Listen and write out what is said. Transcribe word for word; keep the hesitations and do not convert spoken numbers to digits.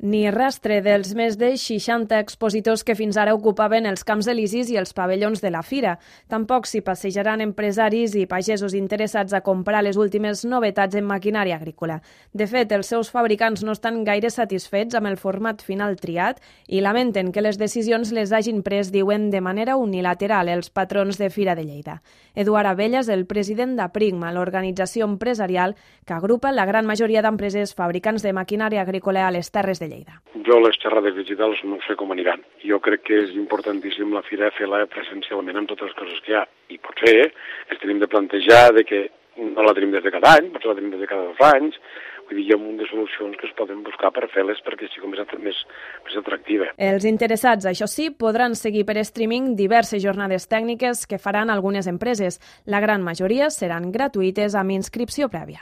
Ni rastre dels més de seixanta expositors que fins ara ocupaven els camps elisis i els pavellons de la fira. Tampoc s'hi passejaran empresaris i pagesos interessats a comprar les últimes novetats en maquinària agrícola. De fet, els seus fabricants no estan gaire satisfets amb el format final triat i lamenten que les decisions les hagin pres, diuen, de manera unilateral els patrons de Fira de Lleida. Eduard Abella és el president d'Aprigma, l'organització empresarial que agrupa la gran majoria d'empreses fabricants de maquinària agrícola a les Terres de Lleida. Jo les xerrades digitals no sé com aniran. Jo crec que és importantíssim la fira fer-la presencialment amb totes les coses que hi ha. I potser ens tenim de plantejar de que no la tenim des de cada any, potser la tenim des de cada dos anys. Vull dir, hi ha un munt de solucions que es poden buscar per fer-les perquè sigui més, més, més atractiva. Els interessats, això sí, podran seguir per streaming diverses jornades tècniques que faran algunes empreses. La gran majoria seran gratuïtes amb inscripció prèvia.